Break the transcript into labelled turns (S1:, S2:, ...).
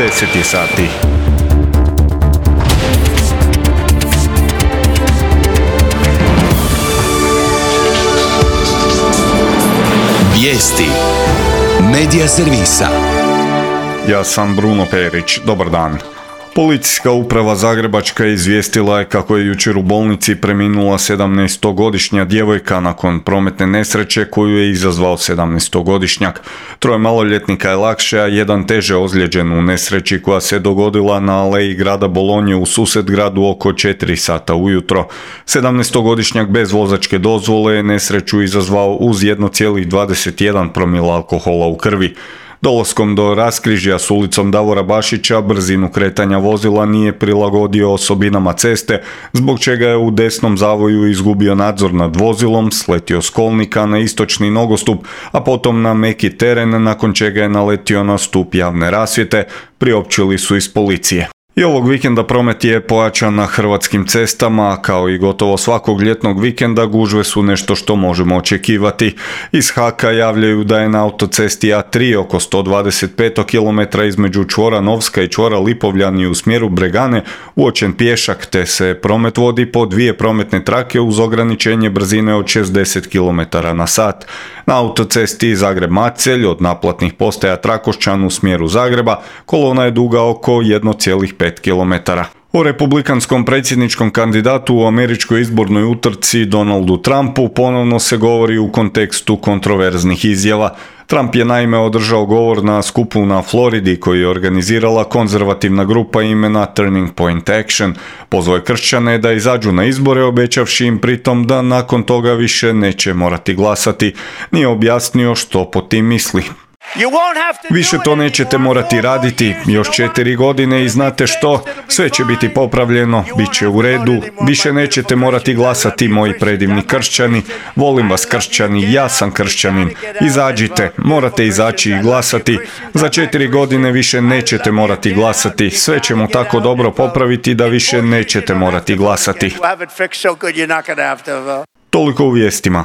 S1: 10 je sati.
S2: Vijesti Medija servisa.
S1: Ja sam Bruno Perić, dobar dan. Policijska uprava Zagrebačka izvijestila je kako je jučer u bolnici preminula 17-godišnja djevojka nakon prometne nesreće koju je izazvao 17-godišnjak. 3 maloljetnika je lakše, a jedan teže ozlijeđen u nesreći koja se dogodila na aleji grada Bolonje u Susetgradu oko 4 sata ujutro. 17-godišnjak bez vozačke dozvole je nesreću izazvao uz 1,21 promila alkohola u krvi. Dolaskom do raskrižja s ulicom Davora Bašića brzinu kretanja vozila nije prilagodio osobinama ceste, zbog čega je u desnom zavoju izgubio nadzor nad vozilom, sletio s kolnika na istočni nogostup, a potom na meki teren, nakon čega je naletio na stup javne rasvjete, priopćili su iz policije. I ovog vikenda promet je pojačan na hrvatskim cestama, kao i gotovo svakog ljetnog vikenda gužve su nešto što možemo očekivati. Iz HAK-a javljaju da je na autocesti A3 oko 125 km između čvora Novska i čvora Lipovljani u smjeru Bregane uočen pješak, te se promet vodi po 2 prometne trake uz ograničenje brzine od 60 km na sat. Na autocesti Zagreb-Macelj od naplatnih postaja Trakošćan u smjeru Zagreba kolona je duga oko 1,5 km. O republikanskom predsjedničkom kandidatu u američkoj izbornoj utrci Donaldu Trumpu ponovno se govori u kontekstu kontroverznih izjava. Trump je naime održao govor na skupu na Floridi koji je organizirala konzervativna grupa imena Turning Point Action. Pozvao je kršćane da izađu na izbore, obećavši im pritom da nakon toga više neće morati glasati. Nije objasnio što po tim misli. Više to nećete morati raditi, još 4 godine i znate što, sve će biti popravljeno, bit će u redu, više nećete morati glasati moji predivni kršćani, volim vas kršćani, ja sam kršćanin, izađite, morate izaći i glasati, za 4 godine više nećete morati glasati, sve ćemo tako dobro popraviti da više nećete morati glasati. Toliko u vijestima.